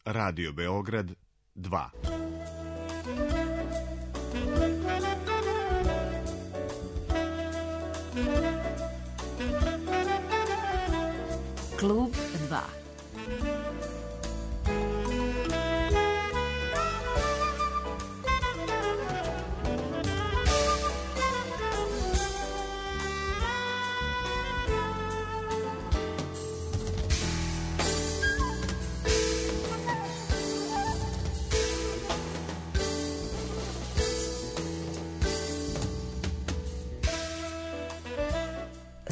Radio Beograd 2. Klub 2.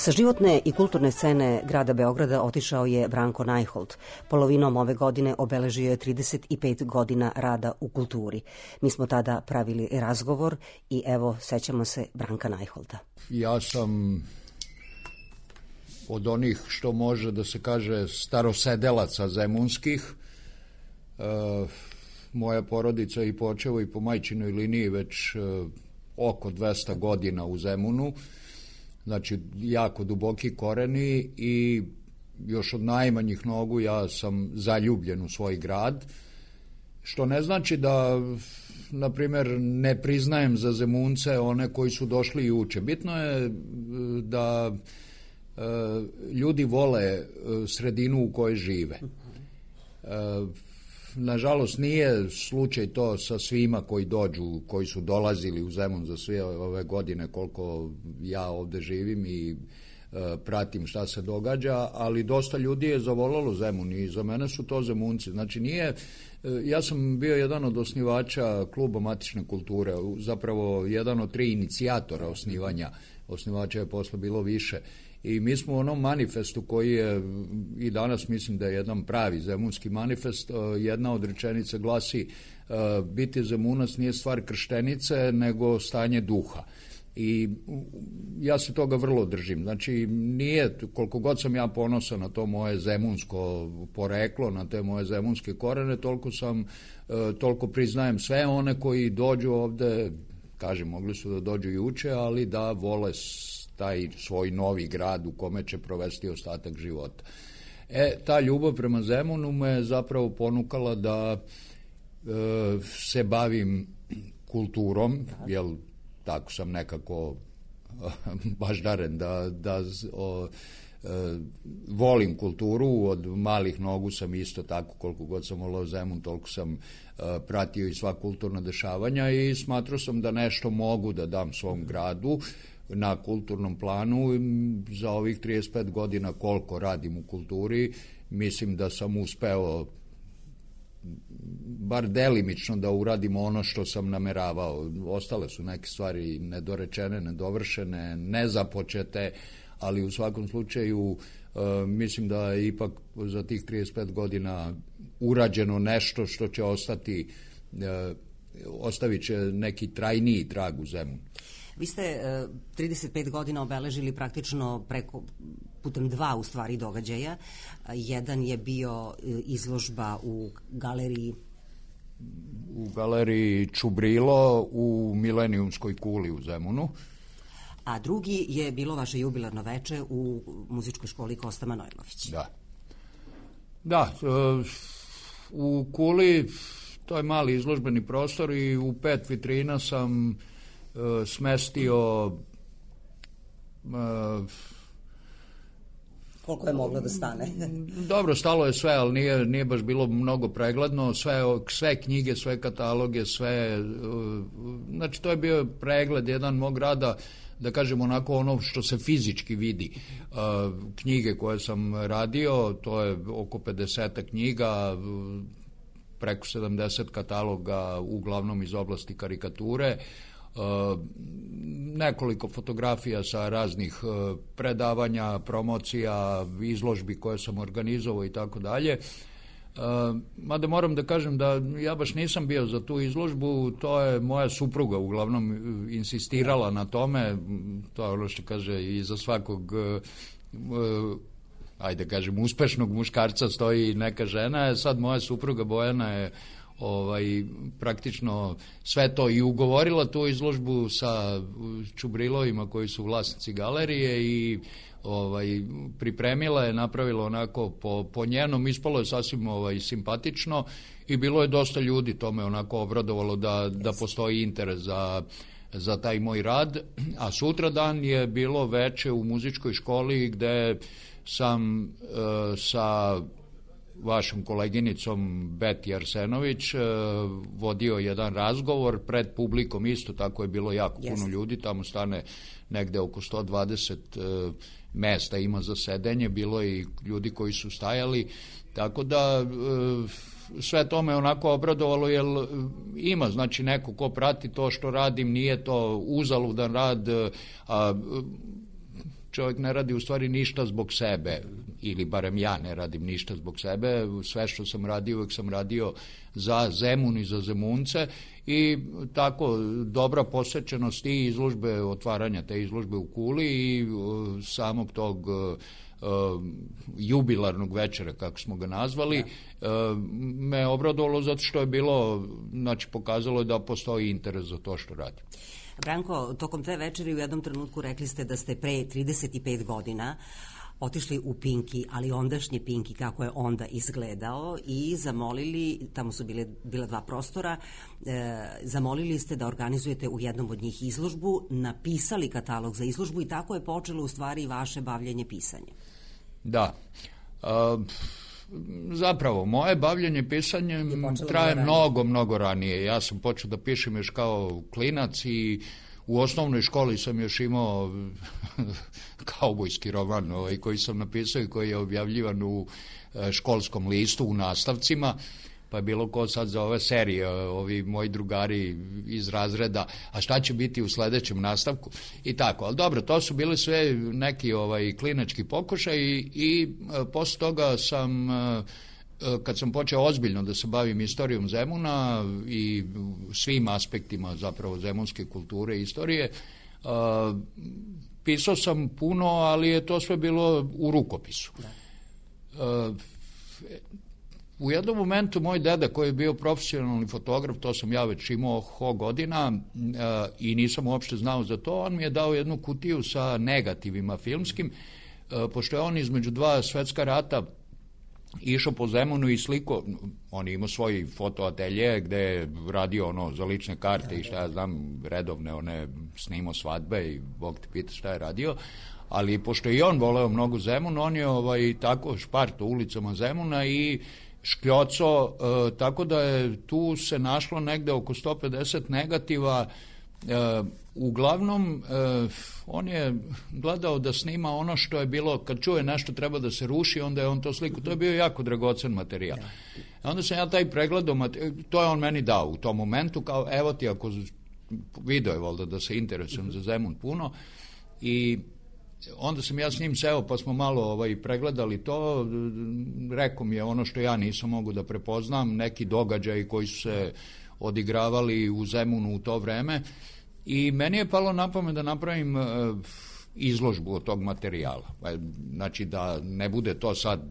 Sa životne i kulturne scene grada Beograda otišao je Branko Najholt. Polovinom ove godine obeležio je 35 godina rada u kulturi. Mi smo tada pravili razgovor i evo, sećamo se Branka Najholta. Ja sam od onih, što može da se kaže, starosedelaca zemunskih. Moja porodica i po očevoj i po majčinoj liniji već oko 200 godina u Zemunu. Znači, jako duboki koreni i još od najmanjih nogu ja sam zaljubljen u svoj grad, što ne znači da, na primjer, ne priznajem za Zemunce one koji su došli i uče. Bitno je da ljudi vole sredinu u kojoj žive. Nažalost, nije slučaj to sa svima koji dođu, koji su dolazili u Zemun za sve ove godine koliko ja ovde živim i pratim šta se događa, ali dosta ljudi je zavolalo Zemun i za mene su to Zemunci. Znači nije, ja sam bio jedan od osnivača kluba matične kulture, zapravo jedan od 3 inicijatora osnivanja, osnivača je posle bilo više. I mi smo u onom manifestu koji je i danas mislim da je jedan pravi zemunski manifest, jedna od rečenica glasi biti Zemunac nije stvar krštenice nego stanje duha. I ja se toga vrlo držim. Znači nije, koliko god sam ja ponosan na to moje zemunsko poreklo, na te moje zemunske korene, toliko priznajem sve one koji dođu ovde, kažem, mogli su da dođu i uče, ali da vole taj svoj novi grad u kome će provesti ostatak života. Ta ljubav prema Zemunu me zapravo ponukala da se bavim kulturom, jer tako sam nekako baždaren da volim kulturu, od malih nogu sam isto tako, koliko god sam volao Zemun, toliko sam pratio i sva kulturna dešavanja i smatrao sam da nešto mogu da dam svom gradu na kulturnom planu. Za ovih 35 godina koliko radim u kulturi, mislim da sam uspeo bar delimično da uradim ono što sam nameravao. Ostale su neke stvari nedorečene, nedovršene, nezapočete, ali u svakom slučaju mislim da je ipak za tih 35 godina urađeno nešto što će ostavit će neki trajniji trag u Zemunu. Vi ste 35 godina obeležili praktično putem 2 u stvari događaja. Jedan je bio izložba u galeriji Čubrilo u Milenijumskoj kuli u Zemunu. A drugi je bilo vaše jubilarno veče u muzičkoj školi Kosta Manojlović. Da, u kuli to je mali izložbeni prostor i u 5 vitrina sam smestio koliko je moglo da stane? Dobro, stalo je sve, ali nije baš bilo mnogo pregledno, sve knjige, sve kataloge, sve, znači to je bio pregled jedan mog rada, da kažem onako ono što se fizički vidi. Knjige koje sam radio, to je oko 50 knjiga, preko 70 kataloga, uglavnom iz oblasti karikature, nekoliko fotografija sa raznih predavanja, promocija, izložbi koje sam organizovao i tako dalje. Mada moram da kažem da ja baš nisam bio za tu izložbu, to je moja supruga uglavnom insistirala na tome, to je ono što kaže i za svakog ajde kažem uspešnog muškarca stoji neka žena, sad moja supruga Bojana je praktično sve to i ugovorila tu izložbu sa Čubrilovima koji su vlasnici galerije i pripremila je, napravila onako po njenom, ispalo je sasvim simpatično i bilo je dosta ljudi, to me onako obradovalo da postoji interes za taj moj rad, a sutradan je bilo veče u muzičkoj školi gde sam sa vašom koleginicom Beti Arsenović vodio jedan razgovor pred publikom, isto tako je bilo jako puno ljudi, tamo stane negde oko 120 mesta ima za sedenje, bilo je i ljudi koji su stajali, tako da sve to me onako obradovalo, jer ima, znači, neko ko prati to što radim, nije to uzaludan rad, a čovjek ne radi u stvari ništa zbog sebe, ili barem ja ne radim ništa zbog sebe, sve što sam radio, uvek sam radio za Zemun i za Zemunce i tako dobra posvećenost i izložbe, otvaranja te izložbe u Kuli i samog tog jubilarnog večera, kako smo ga nazvali, me obradovalo zato što je bilo, znači pokazalo je da postoji interes za to što radim. Branko, tokom te večeri u jednom trenutku rekli ste da ste pre 35 godina otišli u Pinki, ali ondašnji Pinki kako je onda izgledao i zamolili, tamo su bila dva prostora, zamolili ste da organizujete u jednom od njih izložbu, napisali katalog za izložbu i tako je počelo u stvari vaše bavljenje pisanjem. Da. Zapravo, moje bavljenje pisanjem traje mnogo ranije. Ja sam počeo da pišem još kao klinac i u osnovnoj školi sam još imao kaubojski roman koji sam napisao i koji je objavljivan u školskom listu u nastavcima, pa je bilo ko sad za ove serije, ovi moji drugari iz razreda, a šta će biti u sledećem nastavku i tako. Ali dobro, to su bili sve neki klinački pokušaj i posle toga sam, kad sam počeo ozbiljno da se bavim istorijom Zemuna i svim aspektima zapravo zemunske kulture i istorije, pisao sam puno, ali je to sve bilo u rukopisu. U jednom momentu moj deda koji je bio profesionalni fotograf, to sam ja već imao godina i nisam uopšte znao za to, on mi je dao jednu kutiju sa negativima filmskim, pošto je on između dva svetska rata išao po Zemunu i sliko, on je imao svoj fotoatelje gde je radio za lične karte i šta ja znam, redovne, one snimao svadbe i Bog te pita šta je radio, ali pošto je i on voleo mnogo Zemun, on je tako šparto ulicama Zemuna i škljoco, tako da je tu se našlo negde oko 150 negativa. Uglavnom, on je gledao da snima ono što je bilo, kad čuje nešto treba da se ruši, onda je on to sliku, to je bio jako dragocen materijal. Onda sam ja taj pregledao, to je on meni dao u tom momentu, kao evo ti, ako video je valjda da se interesujem za Zemun puno, i onda sam ja s njim seo pa smo malo pregledali to, rekao mi je ono što ja nisam mogu da prepoznam, neki događaji koji su se odigravali u Zemunu u to vreme i meni je palo na pamet da napravim izložbu od tog materijala. Znači da ne bude to sad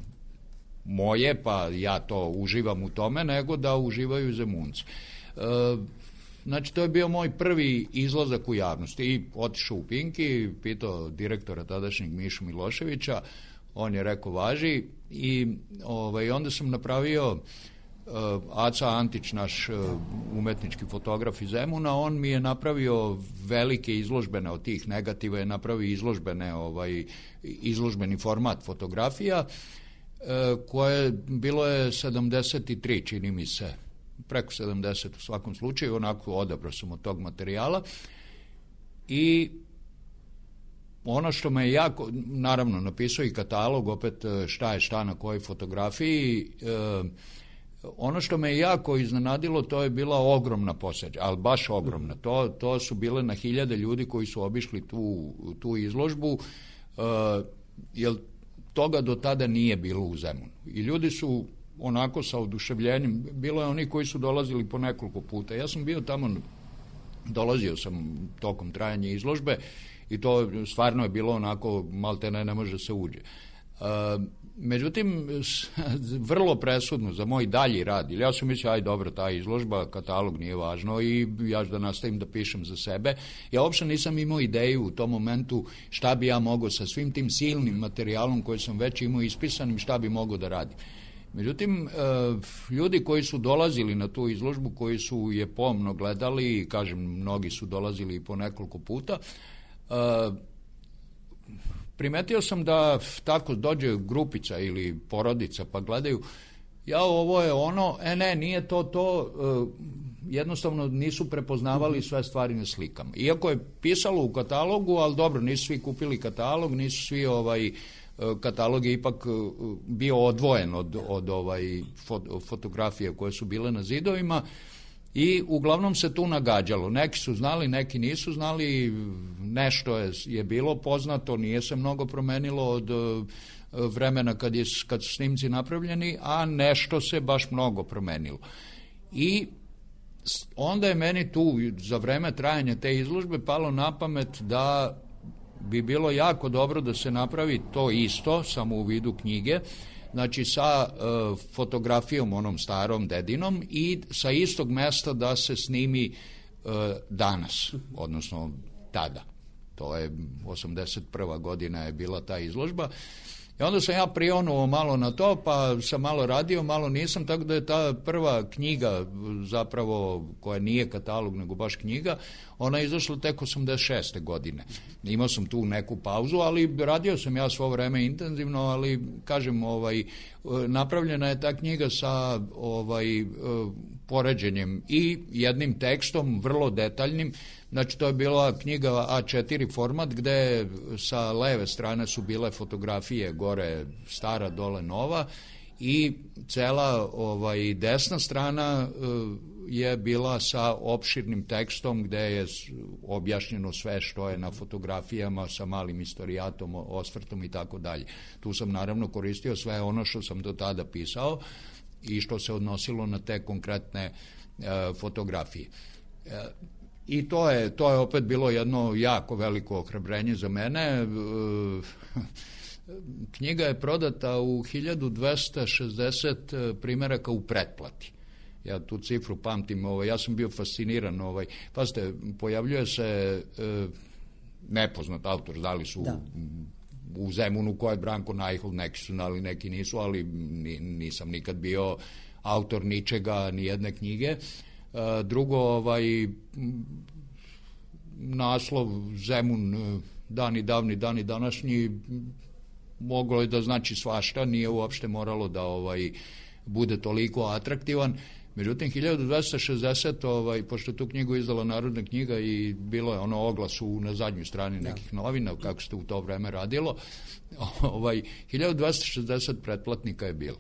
moje pa ja to uživam u tome, nego da uživaju Zemunci. Znači, to je bio moj prvi izlazak u javnosti i otišao u Pinki, pitao direktora tadašnjeg Mišu Miloševića, on je rekao važi i onda sam napravio Aca Antić, naš umetnički fotograf iz Zemuna, on mi je napravio velike izložbene od tih negativa, je napravio izložbeni format fotografija koje bilo je 73, čini mi se, preko 70 u svakom slučaju, onako odabrao sam od tog materijala i ono što me jako, naravno napisao i katalog, opet šta je šta na kojoj fotografiji, ono što me jako iznenadilo, to je bila ogromna poseća, ali baš ogromna, to su bile na hiljade ljudi koji su obišli tu izložbu, jer toga do tada nije bilo u Zemunu i ljudi su onako sa oduševljenjem, bilo je oni koji su dolazili po nekoliko puta. Ja sam bio tamo, dolazio sam tokom trajanja izložbe i to stvarno je bilo onako, maltene ne može se uđe. Međutim, vrlo presudno za moj dalji rad, ili ja sam mislio, aj dobro, ta izložba, katalog nije važno i ja ću da nastavim da pišem za sebe. Ja uopšte nisam imao ideju u tom momentu šta bi ja mogao sa svim tim silnim materijalom koji sam već imao ispisanim, šta bi mogao da radim. Međutim, ljudi koji su dolazili na tu izložbu, koji su je pomno gledali, kažem, mnogi su dolazili i po nekoliko puta, primetio sam da tako dođe grupica ili porodica pa gledaju, ja ovo je ono, ne, nije to, jednostavno nisu prepoznavali sve stvari na slikama. Iako je pisalo u katalogu, ali dobro, nisu svi kupili katalog, nisu svi katalog je ipak bio odvojen od fotografije koje su bile na zidovima i uglavnom se tu nagađalo. Neki su znali, neki nisu znali, nešto je bilo poznato, nije se mnogo promenilo od vremena kad su snimci napravljeni, a nešto se baš mnogo promenilo. I onda je meni tu za vreme trajanja te izložbe palo na pamet da bi bilo jako dobro da se napravi to isto, samo u vidu knjige, znači sa fotografijom onom starom dedinom i sa istog mesta da se snimi danas, odnosno tada. To je 81. godina je bila ta izložba. I onda sam ja prionuo malo na to, pa sam malo radio, malo nisam, tako da je ta prva knjiga zapravo, koja nije katalog, nego baš knjiga, ona je izašla tek 86. godine. Imao sam tu neku pauzu, ali radio sam ja svo vreme intenzivno, ali kažem, napravljena je ta knjiga sa poređenjem i jednim tekstom, vrlo detaljnim. Znači, to je bila knjiga A4 format, gde sa leve strane su bile fotografije, gore stara, dole nova, i cela desna strana je bila sa opširnim tekstom gde je objašnjeno sve što je na fotografijama sa malim istorijatom, osvrtom i tako dalje. Tu sam naravno koristio sve ono što sam do tada pisao i što se odnosilo na te konkretne fotografije. I to je opet bilo jedno jako veliko ohrabrenje za mene. Knjiga je prodata u 1260 primeraka u pretplati. Ja tu cifru pamtim, ja sam bio fasciniran. Pazite, pojavljuje se nepoznat autor, znali su u Zemunu ko je Branko Najhold, neki su znali, neki nisu, ali nisam nikad bio autor ničega, ni jedne knjige. Drugo, naslov Zemun, dani davni, dani današnji, moglo je da znači svašta, nije uopšte moralo da bude toliko atraktivan. Međutim, 1260, pošto tu knjigu izdala Narodna knjiga i bilo je ono oglas na zadnjoj strani nekih novina, kako se u to vreme radilo, 1260 pretplatnika je bilo.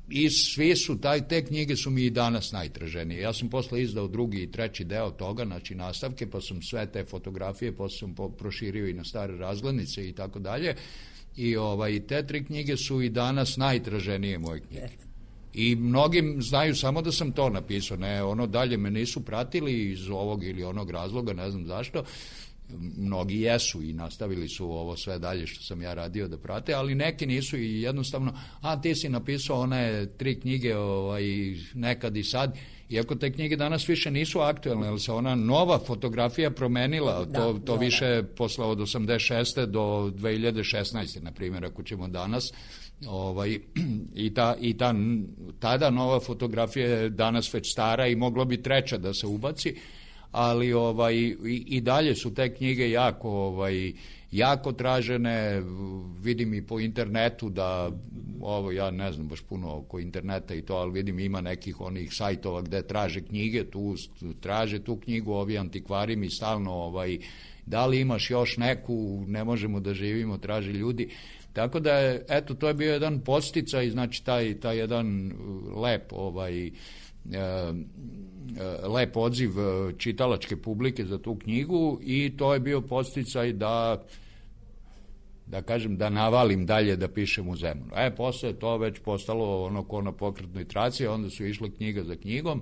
I svi su, te knjige su mi i danas najtraženije. Ja sam posle izdao drugi i treći deo toga, znači nastavke, pa sam sve te fotografije, posle sam proširio i na stare razglednice i tako dalje. I te tri knjige su i danas najtraženije moje knjige. I mnogim znaju samo da sam to napisao, ne, dalje me nisu pratili iz ovog ili onog razloga, ne znam zašto. Mnogi jesu i nastavili su ovo sve dalje što sam ja radio da prate, ali neki nisu i jednostavno, ti si napisao one tri knjige nekad i sad, iako te knjige danas više nisu aktuelne, jer se ona nova fotografija promenila, to više posle od 86. do 2016. na primjer, ako ćemo danas, i tada nova fotografija je danas već stara i moglo bi treća da se ubaci, ali i dalje su te knjige jako tražene. Vidim i po internetu da ja ne znam baš puno oko interneta i to, ali vidim ima nekih onih sajtova gde traže knjige, traže tu knjigu, ovi antikvari mi stalno da li imaš još neku, ne možemo da živimo, traže ljudi. Tako da je, eto, to je bio jedan podsticaj, znači taj jedan lep odziv čitalačke publike za tu knjigu i to je bio podsticaj da kažem, da navalim dalje da pišem u Zemunu. Posle je to već postalo ko na pokretnoj traci, onda su išle knjiga za knjigom.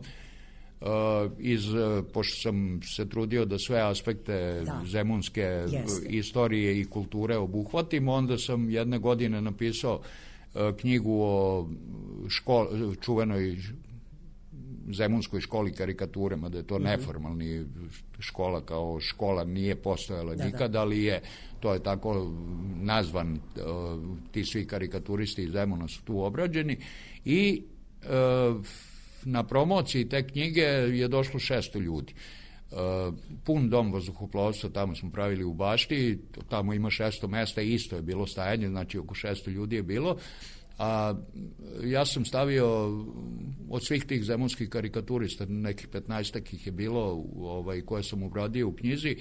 pošto sam se trudio da sve aspekte zemunske istorije i kulture obuhvatim, onda sam jedne godine napisao knjigu o čuvenoj zemunskoj školi karikature, mada je to neformalni škola, kao škola nije postojala nikada, ali to je tako nazvan, ti svi karikaturisti iz Zemuna su tu obrađeni i na promociji te knjige je došlo 600 ljudi. Pun dom vazduhoplovstva, tamo smo pravili u bašti, tamo ima 600 mesta, isto je bilo stajanje, znači oko 600 ljudi je bilo, a ja sam stavio od svih tih zemunskih karikaturista, nekih 15-ak ih je bilo koje sam obradio u knjizi,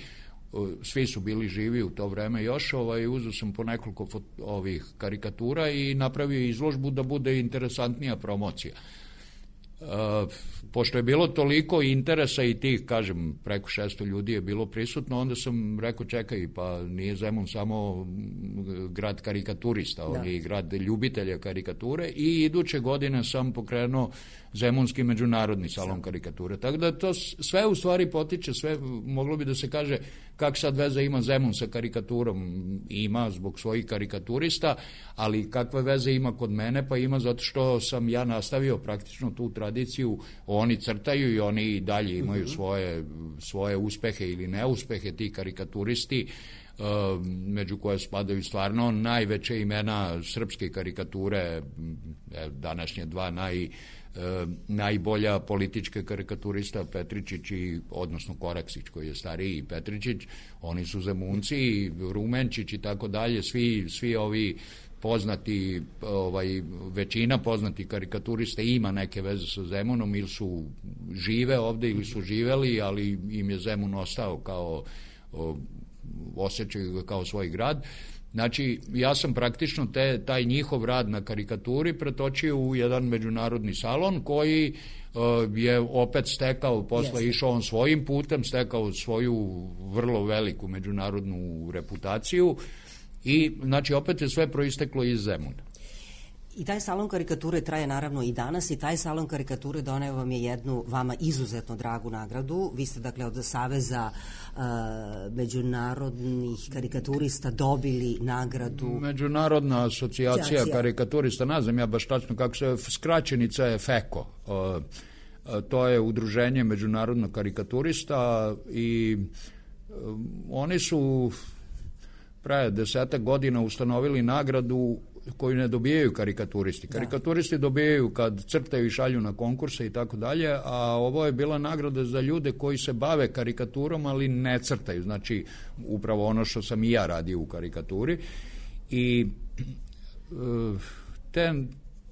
svi su bili živi u to vreme još, uzeo sam po nekoliko ovih karikatura i napravio izložbu da bude interesantnija promocija. Pošto je bilo toliko interesa i tih, kažem, preko 600 ljudi je bilo prisutno, onda sam rekao, čekaj, pa nije Zemun samo grad karikaturista, on je i grad ljubitelja karikature, i iduće godine sam pokrenuo Zemunski međunarodni salon karikature. Tako da to sve u stvari potiče, sve moglo bi da se kaže kak sad veze ima Zemun sa karikaturom. Ima zbog svojih karikaturista, ali kakve veze ima kod mene? Pa ima zato što sam ja nastavio praktično tu tradiciju, oni crtaju i oni i dalje imaju svoje uspehe ili neuspehe, ti karikaturisti, među koje spadaju stvarno najveće imena srpske karikature, današnje dva najbolja politička karikaturista, Petričić odnosno Koraksić koji je stariji, i Petričić, oni su Zemunci, Rumenčić i tako dalje, svi ovi poznati, većina poznati karikaturista ima neke veze sa Zemunom, ili su žive ovde ili su živeli, ali im je Zemun ostao kao, osjećaju ga kao svoj grad. Znači, ja sam praktično taj njihov rad na karikaturi pretočio u jedan međunarodni salon koji je opet stekao, posle išao on svojim putem, stekao svoju vrlo veliku međunarodnu reputaciju i, znači, opet je sve proisteklo iz Zemuna. I taj salon karikature traje naravno i danas, i taj salon karikature doneo vam je jednu vama izuzetno dragu nagradu. Vi ste, dakle, od Saveza međunarodnih karikaturista dobili nagradu. Međunarodna asocijacija karikaturista, ne znam ja baš tačno kako se, skraćenica je FEKO. To je udruženje međunarodnog karikaturista i oni su pre 10 godina ustanovili nagradu koju ne dobijaju karikaturisti. Karikaturisti dobijaju kad crtaju i šalju na konkurse i tako dalje, a ovo je bila nagrada za ljude koji se bave karikaturom, ali ne crtaju. Znači, upravo ono što sam i ja radio u karikaturi. I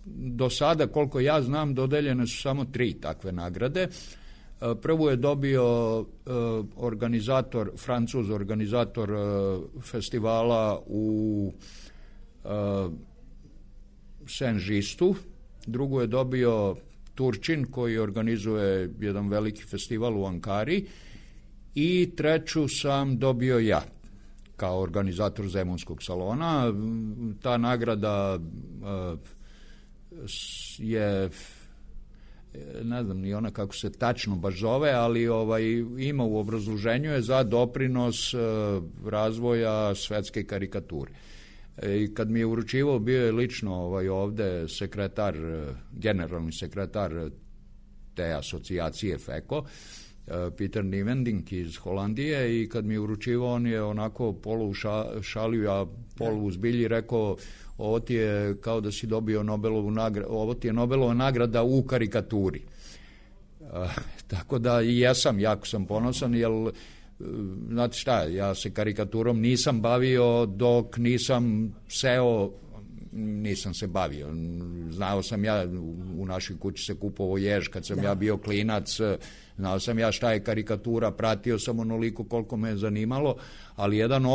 do sada, koliko ja znam, dodeljene su samo 3 takve nagrade. Prvu je dobio Francuz, organizator festivala u Saint-Gistu, drugu je dobio Turčin koji organizuje jedan veliki festival u Ankari i treću sam dobio ja kao organizator Zemunskog salona. Ta nagrada je, ne znam ni ona kako se tačno baš zove, ali ima u obrazloženju je za doprinos razvoja svetske karikature. I kad mi je uručivao, bio je lično ovde generalni sekretar te asocijacije FEKO, Peter Nivending iz Holandije, i kad mi je uručivao, on je onako polu šalio, a polu uzbilji rekao, ovo ti je kao da si dobio Nobelovu nagradu, ovo ti je Nobelova nagrada u karikaturi. Tako da i jesam, jako sam ponosan, jer znate šta, ja se karikaturom nisam bavio dok nisam nisam se bavio. Znao sam ja, u našoj kući se kupovao jež kad sam ja bio klinac, znao sam ja šta je karikatura, pratio sam onoliko koliko me je zanimalo, ali jedan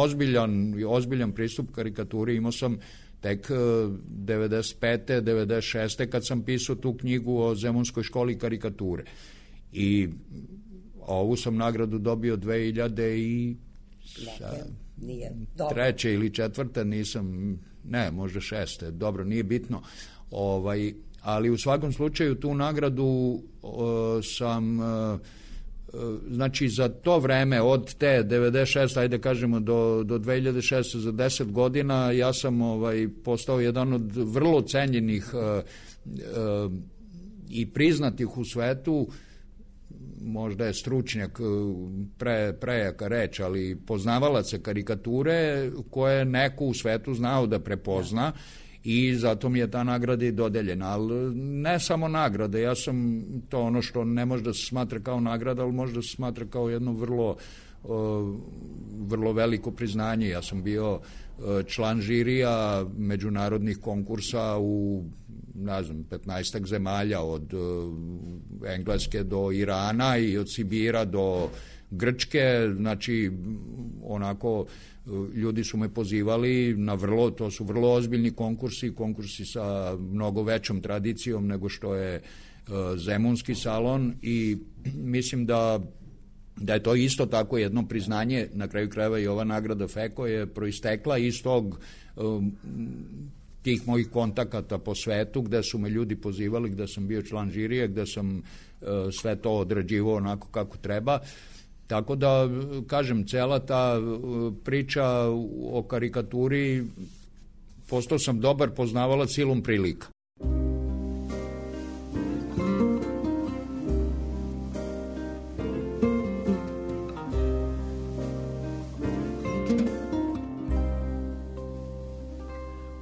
ozbiljan pristup karikaturi imao sam tek 95. 96. kad sam pisao tu knjigu o Zemunskoj školi karikature. I ovu sam nagradu dobio 2003. ili 4. nisam, ne, možda 6. Dobro, nije bitno. ali u svakom slučaju tu nagradu sam, znači za to vreme od te 96, ajde kažemo do 2006 za 10 godina ja sam postao jedan od vrlo cenjenih i priznatih u svetu, možda je stručnjak prejaka reč, ali poznavalaca karikature koje neko u svetu znao da prepozna i zato mi je ta nagrada i dodeljena. Ali ne samo nagrada, ja sam to ono što ne može da se smatra kao nagrada, ali može da se smatra kao jedno vrlo veliko priznanje. Ja sam bio član žirija međunarodnih konkursa u 15 zemalja, od Engleske do Irana i od Sibira do Grčke, znači onako ljudi su me pozivali na to su vrlo ozbiljni konkursi sa mnogo većom tradicijom nego što je Zemunski salon i mislim da je to isto tako jedno priznanje, na kraju krajeva i ova nagrada FEKO je proistekla iz tih mojih kontakata po svetu gde su me ljudi pozivali, gde sam bio član žirije, gde sam sve to odrađivao onako kako treba. Tako da, kažem, cela ta priča o karikaturi, postao sam dobar poznavalac silom prilika.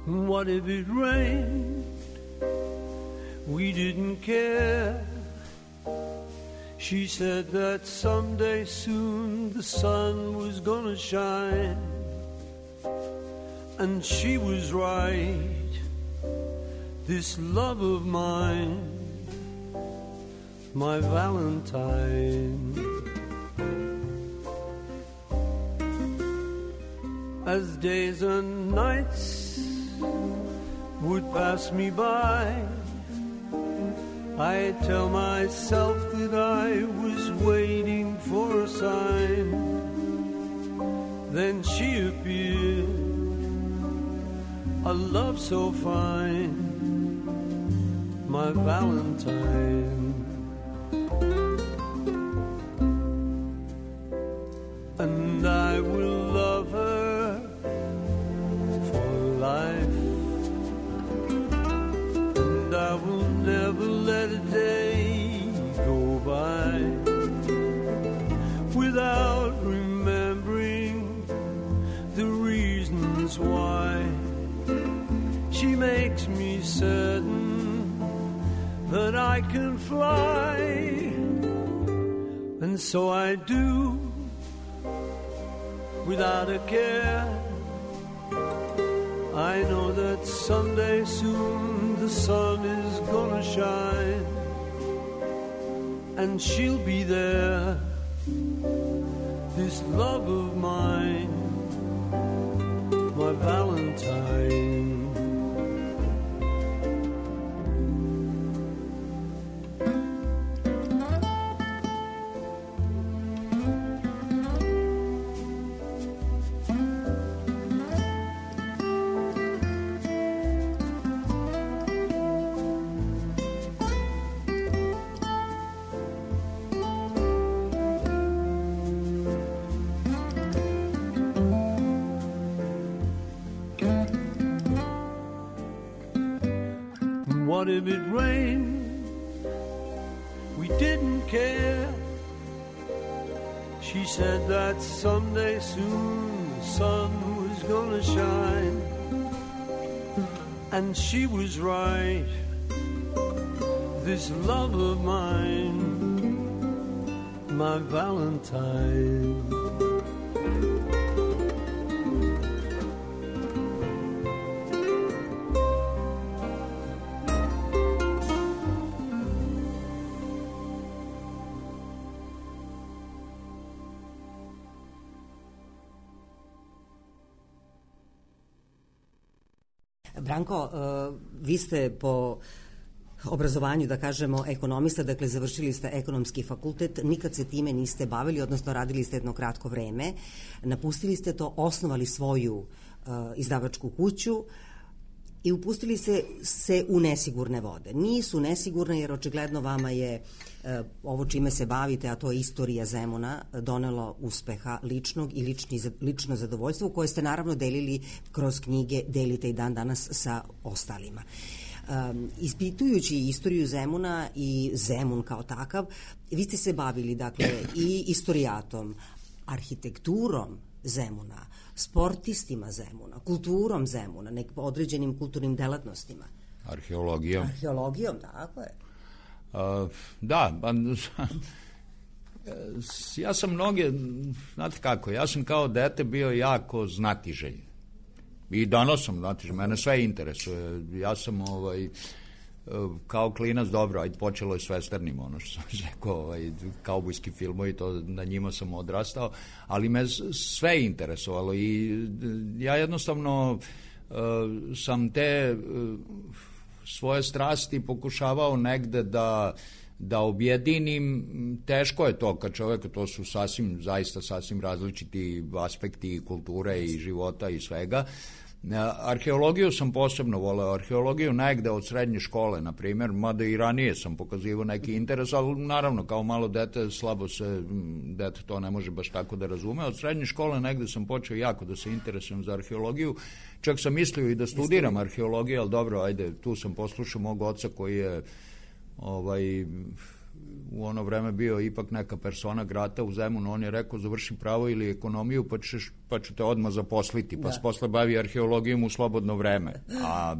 What if it rained? We didn't care. She said that someday soon the sun was gonna shine. And she was right. This love of mine, my Valentine. As days and nights would pass me by, I tell myself that I was waiting for a sign. Then she appeared, a love so fine, my Valentine. And I will love her for life. I will never let a day go by without remembering the reasons why. She makes me certain that I can fly, and so I do without a care. I know that someday soon the sun is gonna shine, and she'll be there, this love of mine, my Valentine. What if it rained? We didn't care. She said that someday soon the sun was gonna shine, and she was right. This love of mine, my Valentine. Branko, vi ste po obrazovanju, da kažemo, ekonomista, dakle završili ste ekonomski fakultet, nikad se time niste bavili, odnosno radili ste jedno kratko vreme, napustili ste to, osnovali svoju izdavačku kuću i upustili se u nesigurne vode. Nisu nesigurne jer očigledno vama je ovo čime se bavite, a to je istorija Zemuna, donelo uspeha ličnog i lično zadovoljstvo koje ste naravno delili kroz knjige, delite i dan danas sa ostalima. Ispitujući istoriju Zemuna i Zemun kao takav, vi ste se bavili dakle i istorijatom, arhitekturom Zemuna, sportistima Zemuna, kulturom Zemuna, određenim kulturnim delatnostima. Arheologijom, tako je. Da, ja sam znate kako, ja sam kao dete bio jako znatiželj. I danas sam znatiželj, mene sve interesuje. Ja sam kao klinac, dobro, ajde počelo je s westernim, ono što sam rekao, kaubojski filmovi, to na njima sam odrastao, ali me sve interesovalo i ja jednostavno sam te svoje strasti pokušavao negde da objedinim. Teško je to kad čovjek, to su zaista sasvim različiti aspekti kulture i života i svega. Arheologiju sam posebno voleo, arheologiju negde od srednje škole, na primjer, mada i ranije sam pokazivao neki interes, ali naravno kao malo dete slabo se, dete to ne može baš tako da razume. Od srednje škole negde sam počeo jako da se interesujem za arheologiju, čak sam mislio i da studiram arheologiju, ali dobro, ajde, tu sam poslušao mog oca koji je u ono vreme bio ipak neka persona grata u Zemunu. On je rekao završi pravo ili ekonomiju pa ću te odmah zaposliti, pa se posle bavi arheologijom u slobodno vreme. A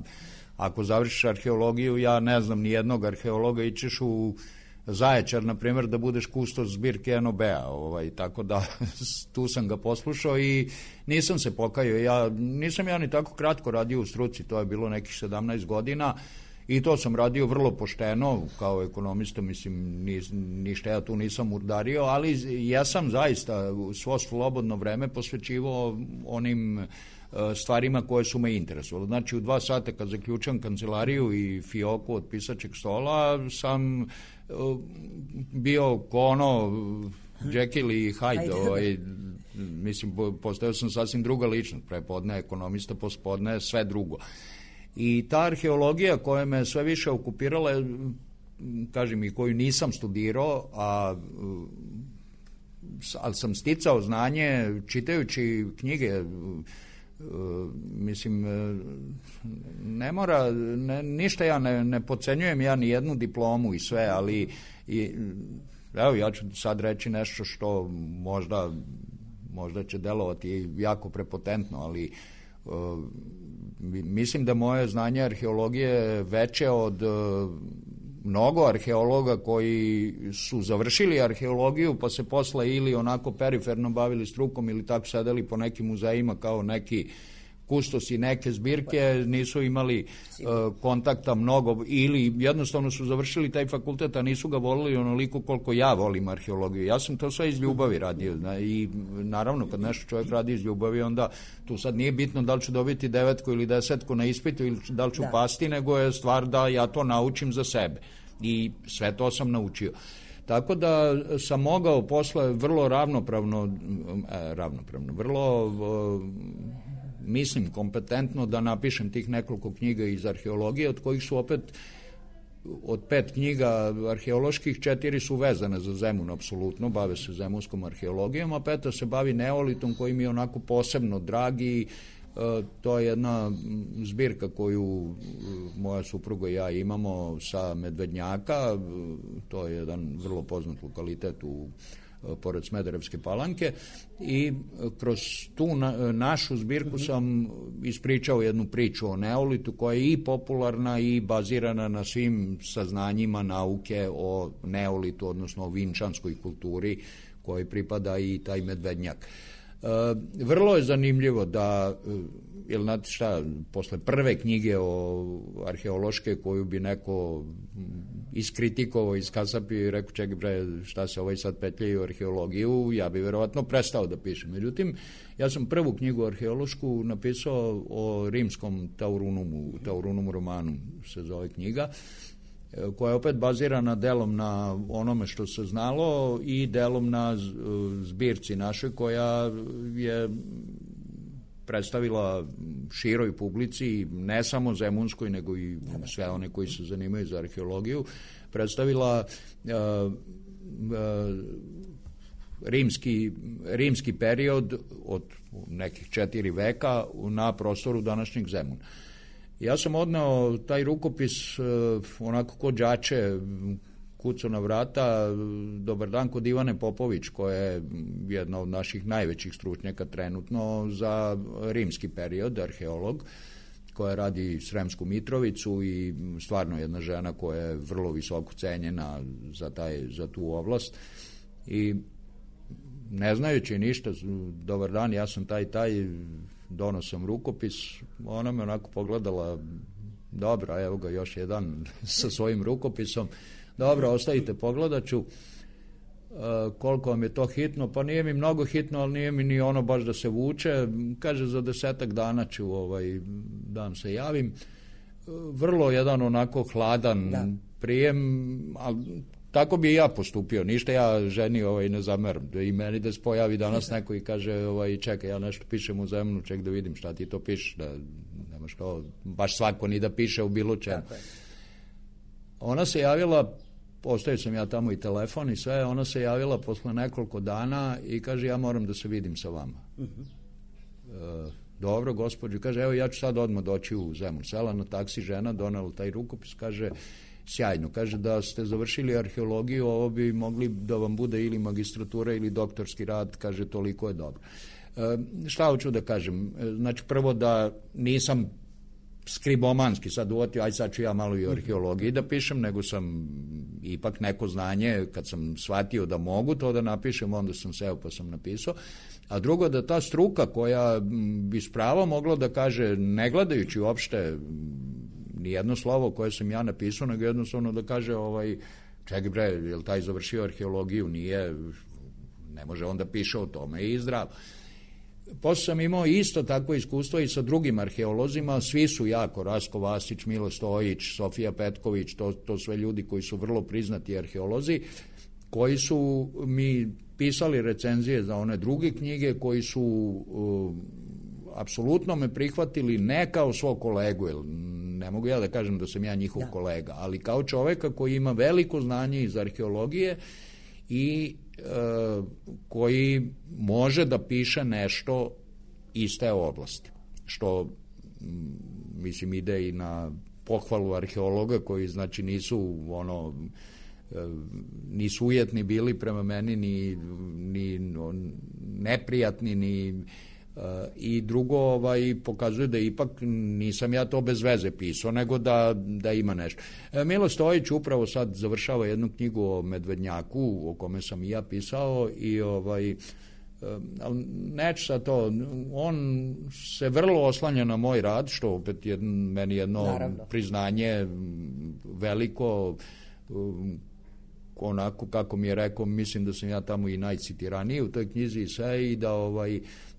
ako završiš arheologiju, ja ne znam ni jednog arheologa, ićeš u Zaječar, na primjer, da budeš kustos zbirke NOB-a, tako da tu sam ga poslušao i nisam se pokajao. Nisam ni tako kratko radio u struci, to je bilo nekih 17 godina, i to sam radio vrlo pošteno, kao ekonomista, mislim, ništa ja tu nisam urdario, ali ja sam zaista svo slobodno vreme posvećivao onim stvarima koje su me interesovali. Znači, u 2 sata kad zaključam kancelariju i fioku od pisačeg stola, sam bio ko Jekyll i Hyde, mislim, postao sam sasvim druga ličnost, prepodne ekonomista, pospodne sve drugo. I ta arheologija koja me sve više okupirala, kažem, i koju nisam studirao, ali sam sticao znanje čitajući knjige, mislim, ne mora, ništa ja ne podcenjujem ja ni jednu diplomu i sve, ali evo, ja ću sad reći nešto što možda će delovati jako prepotentno, ali mislim da moje znanje arheologije je veće od mnogo arheologa koji su završili arheologiju pa se posle ili onako periferno bavili strukom ili tako sedeli po nekim muzejima kao neki kustosi neke zbirke, nisu imali kontakta mnogo ili jednostavno su završili taj fakultet, a nisu ga volili onoliko koliko ja volim arheologiju. Ja sam to sve iz ljubavi radio i naravno kad nešto čovjek radi iz ljubavi, onda tu sad nije bitno da li ću dobiti 9 ili 10 na ispitu ili da li ću pasti, nego je stvar da ja to naučim za sebe i sve to sam naučio. Tako da sam mogao posle vrlo ravnopravno, vrlo mislim kompetentno da napišem tih nekoliko knjiga iz arheologije, od kojih su opet od 5 knjiga arheoloških 4 su vezane za Zemun, apsolutno, bave se zemunskom arheologijom, a 5 se bavi neolitom koji mi je onako posebno dragi. To je jedna zbirka koju moja supruga i ja imamo sa Medvednjaka, to je jedan vrlo poznat lokalitet pored Smederevske Palanke, i kroz tu našu zbirku sam ispričao jednu priču o neolitu koja je i popularna i bazirana na svim saznanjima nauke o neolitu, odnosno o vinčanskoj kulturi kojoj pripada i taj Medvednjak. Vrlo je zanimljivo da, jel znate šta, posle prve knjige arheološke koju bi neko iskritikovao, iskasapio i rekao čekaj bre, šta se sad petljaju u arheologiju, ja bi verovatno prestao da pišem. Međutim, ja sam prvu knjigu arheološku napisao o rimskom Taurunum Romanum se zove knjiga, koja je opet bazirana delom na onome što se znalo i delom na zbirci našoj koja je predstavila široj publici, ne samo zemunskoj, nego i sve one koji se zanimaju za arheologiju, predstavila rimski period od nekih 4 veka na prostoru današnjeg Zemuna. Ja sam odneo taj rukopis onako ko đače, kucao na vrata, dobar dan, kod Ivane Popović, koja je jedna od naših najvećih stručnjaka trenutno za rimski period, arheolog, koja radi Sremsku Mitrovicu i stvarno jedna žena koja je vrlo visoko cenjena za tu oblast. I ne znajući ništa, dobar dan, ja sam taj, donosim rukopis, ona me onako pogledala, dobro, evo ga još jedan sa svojim rukopisom, dobro, ostavite, pogledat ću, koliko vam je to hitno, pa nije mi mnogo hitno, ali nije mi ni ono baš da se vuče, kaže za 10 dana ću dan se javim, vrlo jedan onako hladan prijem, ali tako bi i ja postupio, ništa ja ženi ne zameram, i meni da se pojavi danas neko i kaže čekaj, ja nešto pišem u Zemunu, ček da vidim šta ti to pišeš, da nemaš to, baš svako ni da piše u bilo čemu. Ona se javila, ostavio sam ja tamo i telefon i sve, ona se javila posle nekoliko dana i kaže ja moram da se vidim sa vama. Dobro, gospođo, kaže evo ja ću sad odmah doći u Zemun. Sela na taksi žena, donela taj rukopis, kaže sjajno, kaže da ste završili arheologiju, ovo bi mogli da vam bude ili magistratura ili doktorski rad, kaže toliko je dobro. Šta hoću da kažem? Znači prvo da nisam skribomanski sad uvatio, aj sad ću ja malo i o arheologiji da pišem, nego sam ipak neko znanje, kad sam shvatio da mogu to da napišem, onda sam seo pa sam napisao. A drugo, da ta struka koja bi s pravom mogla da kaže, ne gledajući uopšte nijedno slovo koje sam ja napisao, nego jednostavno da kaže čekaj bre, je li taj završio arheologiju? Nije, ne može on da piše o tome i zdravo. Posle sam imao isto takvo iskustvo i sa drugim arheolozima, svi su jako, Rasko Vasić, Milo Stojić, Sofija Petković, to sve ljudi koji su vrlo priznati arheolozi, koji su mi pisali recenzije za one druge knjige, koji su apsolutno me prihvatili ne kao svog kolegu, jer ne mogu ja da kažem da sam ja njihov kolega, ali kao čoveka koji ima veliko znanje iz arheologije i koji može da piše nešto iz te oblasti, što mislim ide i na pohvalu arheologa koji znači nisu ujetni bili prema meni ni neprijatni ni i drugo pokazuje da ipak nisam ja to bez veze pisao, nego da ima nešto. Milo Stojić upravo sad završava jednu knjigu o Medvednjaku, o kome sam i ja pisao i neću sad to, on se vrlo oslanja na moj rad, što opet meni jedno priznanje veliko, onako kako mi je rekao, mislim da sam ja tamo i najcitiraniji u toj knjizi i sve, i da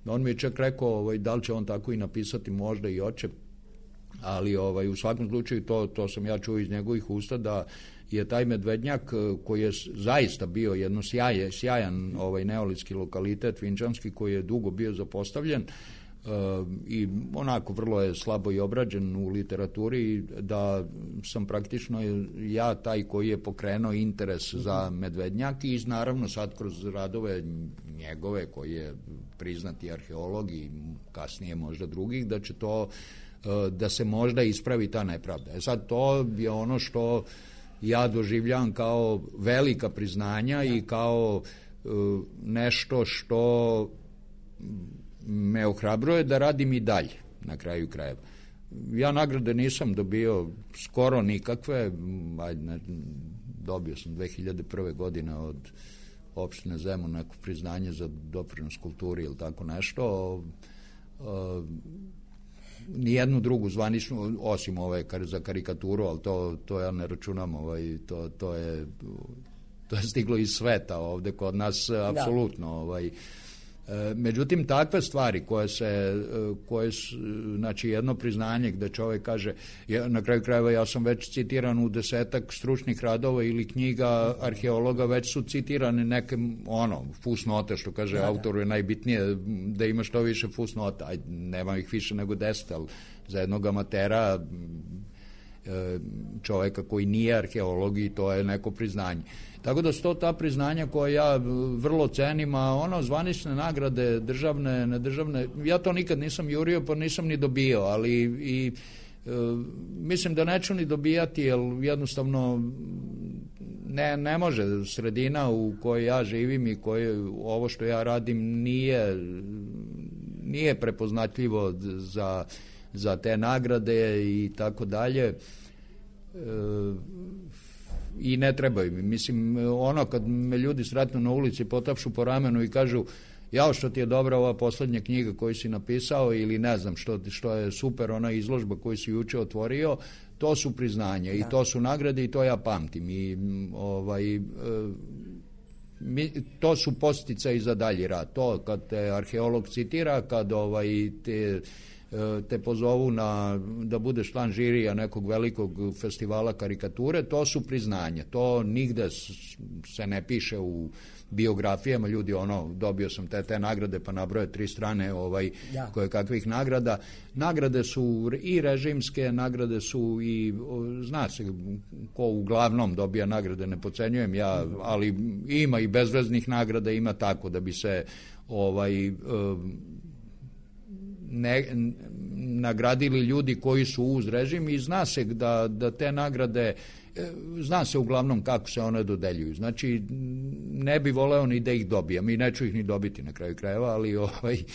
on mi je čak rekao da li će on tako i napisati, možda i hoće, ali u svakom slučaju to sam ja čuo iz njegovih usta, da je taj Medvednjak, koji je zaista bio jedno sjajan neolitski lokalitet vinčanski, koji je dugo bio zapostavljen i onako vrlo je slabo i obrađen u literaturi, da sam praktično ja taj koji je pokrenuo interes za Medvednjak i naravno sad kroz radove njegove, koji je priznati arheolog i kasnije možda drugih, da će to da se možda ispravi ta nepravda. Sad to je ono što ja doživljavam kao velika priznanja i kao nešto što me ohrabruje da radim i dalje na kraju krajeva. Ja nagrade nisam dobio skoro nikakve, dobio sam 2001. godine od opštine Zemun neko priznanje za doprinos kulturi ili tako nešto. Nijednu drugu zvaničnu, osim ove za karikaturu, ali to ja ne računam, to je stiglo iz sveta ovde kod nas, apsolutno. Međutim, takve stvari koje su, znači jedno priznanje gde čovjek kaže, na kraju krajeva ja sam već citiran u 10-ak stručnih radova ili knjiga arheologa, već su citirane neke fusnote, što kaže autoru je najbitnije da ima što više fusnota, nema ih više nego 10, ali za jednog amatera, čovjeka koji nije arheolog, i to je neko priznanje. Tako da su to ta priznanja koja ja vrlo cenim, a zvanične nagrade, državne, nedržavne, ja to nikad nisam jurio, pa nisam ni dobio, ali mislim da neću ni dobijati, jer jednostavno ne može sredina u kojoj ja živim i ovo što ja radim nije prepoznatljivo za te nagrade i tako dalje. I ne trebaju mi. Mislim, kad me ljudi sretnu na ulici, potapšu po ramenu i kažu, jao što ti je dobra ova poslednja knjiga koju si napisao, ili ne znam što je super ona izložba koju si juče otvorio, to su priznanja i to su nagrade i to ja pamtim. I to su podsticaji za dalji rad. To kad te arheolog citira, kad te pozovu da budeš član žirija nekog velikog festivala karikature, to su priznanja. To nigde se ne piše u biografijama, ljudi dobio sam te nagrade, pa nabroje 3 strane koje kakvih nagrada. Nagrade su i režimske, nagrade su i, zna se ko uglavnom dobija nagrade, ne podcenjujem ja, ali ima i bezveznih nagrada, ima tako da bi se nagradili ljudi koji su uz režim, i zna se da te nagrade, zna se uglavnom kako se one dodeljuju. Znači, ne bi voleo ni da ih dobijam i neću ih ni dobiti na kraju krajeva, ali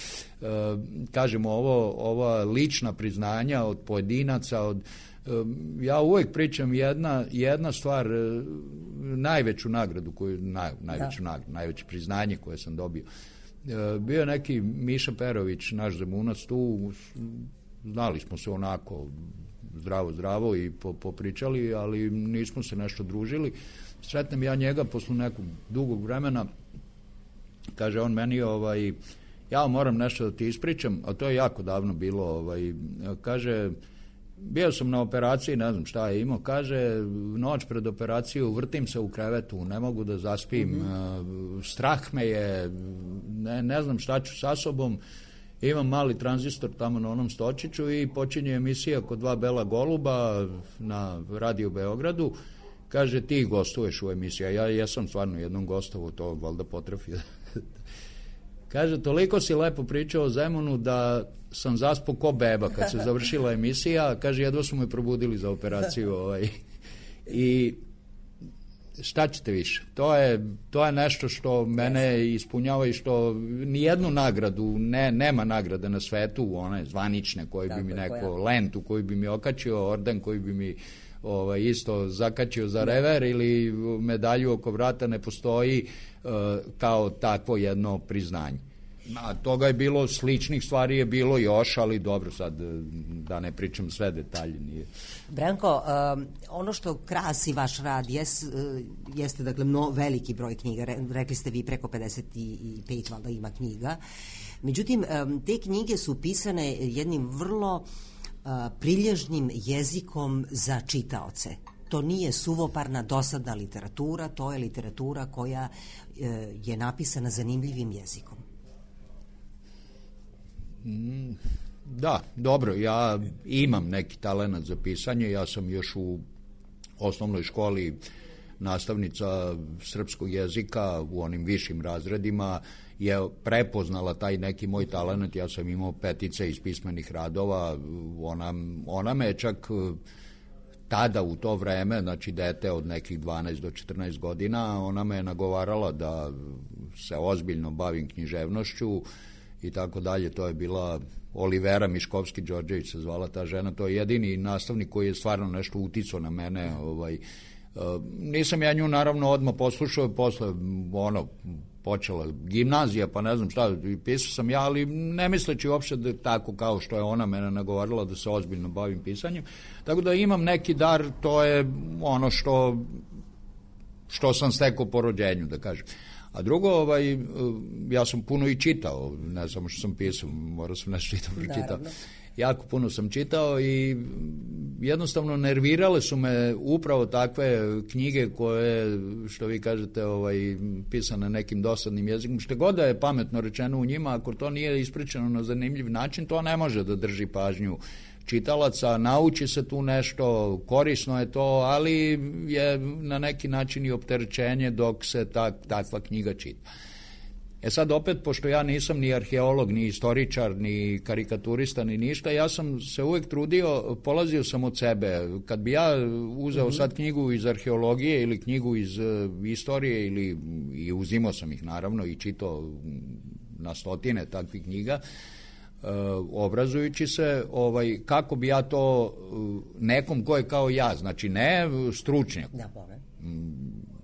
kažemo, ova lična priznanja od pojedinaca, ja uvek pričam jedna stvar, najveću nagradu najveće priznanje koje sam dobio. Bio je neki Miša Perović, naš Zemunac tu, znali smo se onako zdravo i popričali, ali nismo se nešto družili. Sretnem ja njega posle nekog dugog vremena, kaže on meni, ja moram nešto da ti ispričam, a to je jako davno bilo, kaže, bio sam na operaciji, ne znam šta je imao, kaže, noć pred operaciju vrtim se u krevetu, ne mogu da zaspim, strah me je, ne znam šta ću sa sobom, imam mali tranzistor tamo na onom stočiću i počinje emisija kod 2 bela goluba na Radio Beogradu, kaže, ti gostuješ u emisiji, ja jesam stvarno jednom gostovo, to valjda potrefi. Kaže, toliko si lepo pričao o Zemunu da sam zaspao ko beba kad se završila emisija, kaže, jedva su me probudili za operaciju. I šta ćete više? To je nešto što mene ispunjava i što nijednu nagradu, nema nagrade na svetu, one zvanične koje bi mi neko, lentu koju bi mi okačio, orden koji bi mi isto zakačio za rever ili medalju oko vrata, ne postoji kao takvo jedno priznanje. Toga je bilo, sličnih stvari je bilo još, ali dobro, sad da ne pričam sve detalje. Nije. Branko, ono što krasi vaš rad jeste, dakle, veliki broj knjiga, rekli ste vi preko 55 valjda ima knjiga, međutim, te knjige su pisane jednim vrlo prilježnim jezikom za čitaoce. To nije suvoparna, dosadna literatura, to je literatura koja je napisana zanimljivim jezikom. Da, dobro, ja imam neki talenat za pisanje, ja sam još u osnovnoj školi nastavnica srpskog jezika u onim višim razredima je prepoznala taj neki moj talenat, ja sam imao 5 iz pismenih radova, ona me čak tada u to vreme, znači dete od nekih 12 do 14 godina, ona me je nagovarala da se ozbiljno bavim književnošću i tako dalje. To je bila Olivera Miškovski-Đorđević se zvala ta žena, to je jedini nastavnik koji je stvarno nešto uticao na mene. Nisam ja nju naravno odmah poslušao, posle počela gimnazija, pa ne znam šta, pisao sam ja, ali ne misleći uopšte da tako kao što je ona mene nagovarala da se ozbiljno bavim pisanjem. Tako da imam neki dar, to je ono što što sam stekao po rođenju, da kažem. A drugo, ja sam puno i čitao, ne samo što sam pisao, morao sam nešto i dobro čitao. Jako puno sam čitao i jednostavno nervirale su me upravo takve knjige koje, što vi kažete, pisane nekim dosadnim jezikom. Što god da je pametno rečeno u njima, ako to nije ispričano na zanimljiv način, to ne može da drži pažnju čitalaca, nauči se tu nešto, korisno je to, ali je na neki način i opterećenje dok se takva knjiga čita. Sad opet, pošto ja nisam ni arheolog, ni istoričar, ni karikaturista, ni ništa, ja sam se uvek trudio, polazio sam od sebe. Kad bi ja uzeo sad knjigu iz arheologije ili knjigu iz istorije, i uzimao sam ih naravno i čitao na stotine takvih knjiga, obrazujući se, kako bi ja to nekom ko je kao ja, znači ne stručnjak.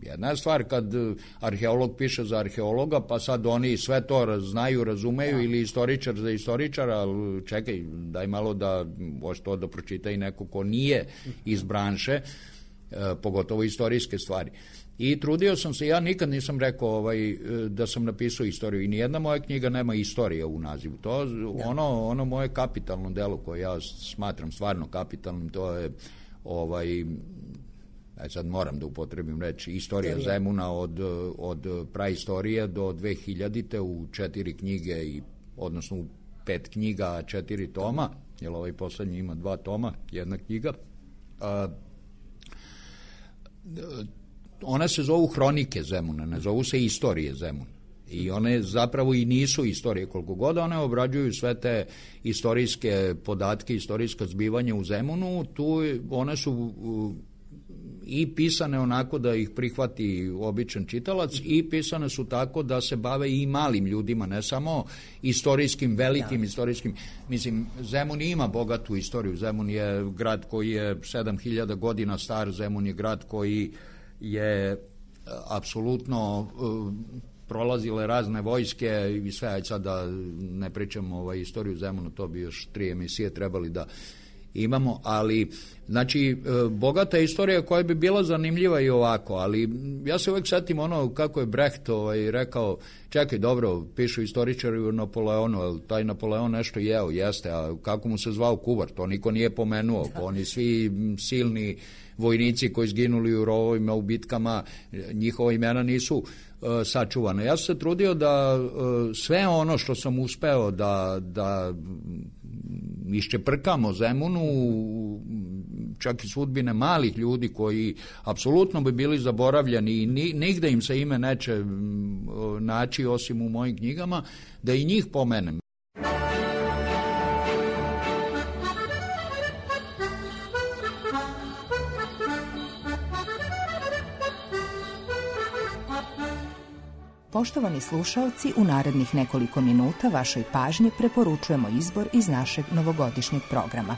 Jedna je stvar kad arheolog piše za arheologa, pa sad oni sve to znaju, razumeju, ili istoričar za istoričara, ali čekaj, daj malo da može to da pročita i neko ko nije iz branše, pogotovo istorijske stvari. I trudio sam se, ja nikad nisam rekao da sam napisao istoriju i nijedna moja knjiga nema istorija u nazivu. To ono moje kapitalno delo koje ja smatram stvarno kapitalnim, to je sad moram da upotrebim reći, istorija Zemuna od praistorije do 2000-te u 4 knjige, odnosno u 5 knjiga, 4 toma, jer ovaj poslednji ima 2 toma, 1 knjiga. One se zovu hronike Zemuna, ne zovu se istorije Zemuna. I one zapravo i nisu istorije, koliko god one obrađuju sve te istorijske podatke, istorijska zbivanja u Zemunu, tu one su i pisane onako da ih prihvati običan čitalac i pisane su tako da se bave i malim ljudima, ne samo istorijskim, velikim istorijskim. Mislim, Zemun ima bogatu istoriju. Zemun je grad koji je 7000 godina star, Zemun je grad koji je apsolutno prolazile razne vojske i sve, sad da ne pričam istoriju Zemunu, to bi još 3 emisije trebali da imamo, ali znači bogata istorija koja bi bila zanimljiva i ovako, ali ja se uvek setim kako je Brecht rekao, čekaj, dobro, pišu istoričari o Napoleonu, ali taj Napoleon nešto jeo, jeste, a kako mu se zvao kuvar, to niko nije pomenuo, oni svi silni vojnici koji izginuli u rovovima, u bitkama, njihova imena nisu sačuvane. Ja sam se trudio da sve ono što sam uspeo da iščeprkamo Zemunu, čak i sudbine malih ljudi koji apsolutno bi bili zaboravljeni i nigde im se ime neće naći osim u mojim knjigama, da i njih pomenem. Poštovani slušaoci, u narednih nekoliko minuta vašoj pažnji preporučujemo izbor iz našeg novogodišnjeg programa.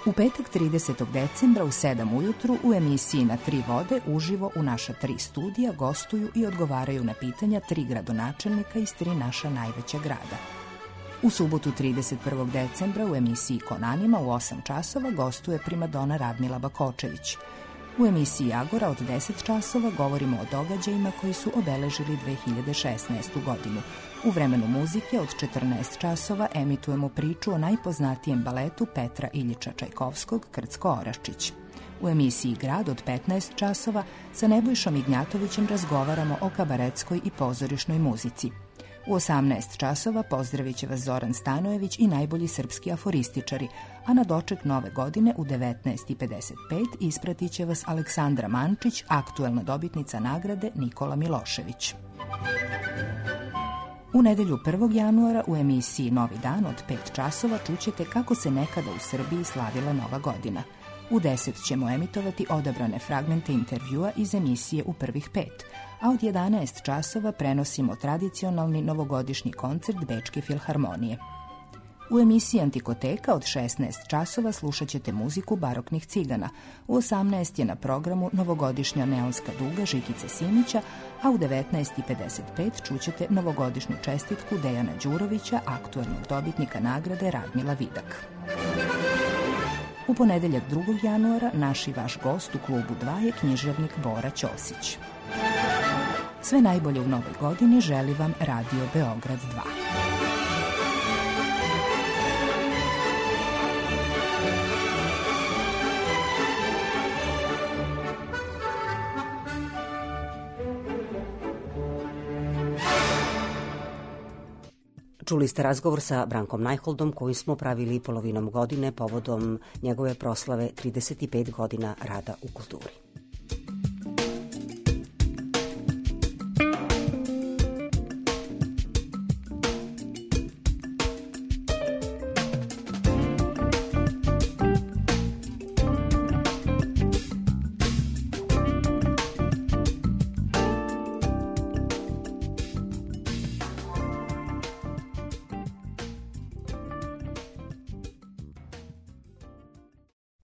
U petak 30. decembra u 7 ujutru u emisiji Na 3 vode uživo u naša 3 studija gostuju i odgovaraju na pitanja 3 gradonačelnika iz 3 naša najveća grada. U subotu 31. decembra u emisiji Konanima u 8 časova gostuje primadona Radmila Bakočević. U emisiji Agora od 10 časova govorimo o događajima koji su obeležili 2016. godinu. U vremenu muzike od 14 časova emitujemo priču o najpoznatijem baletu Petra Iljiča Čajkovskog Krcko-Oraščić. U emisiji Grad od 15 časova sa Nebojšom Ignjatovićem razgovaramo o kabaretskoj i pozorišnoj muzici. U 18 časova pozdravit će vas Zoran Stanojević i najbolji srpski aforističari, a na doček nove godine u 19:55 ispratit će vas Aleksandra Mančić, aktuelna dobitnica nagrade Nikola Milošević. U nedelju 1. januara u emisiji Novi dan od 5 časova čućete kako se nekada u Srbiji slavila Nova godina. U 10 ćemo emitovati odabrane fragmente intervjua iz emisije U prvih 5, a od 11 časova prenosimo tradicionalni novogodišnji koncert Bečke filharmonije. U emisiji Antikoteka od 16 časova slušat ćete muziku baroknih cigana. U 18 je na programu novogodišnja neonska duga Žikice Simića, a u 19:55 čućete novogodišnju čestitku Dejana Đurovića, aktuelnog dobitnika nagrade Radmila Vidak. U ponedeljak 2. januara naš i vaš gost u klubu 2 je književnik Bora Ćosić. Sve najbolje u novoj godini želi vam Radio Beograd 2. Čuli ste razgovor sa Brankom Najholdom koji smo pravili polovinom godine povodom njegove proslave 35 godina rada u kulturi.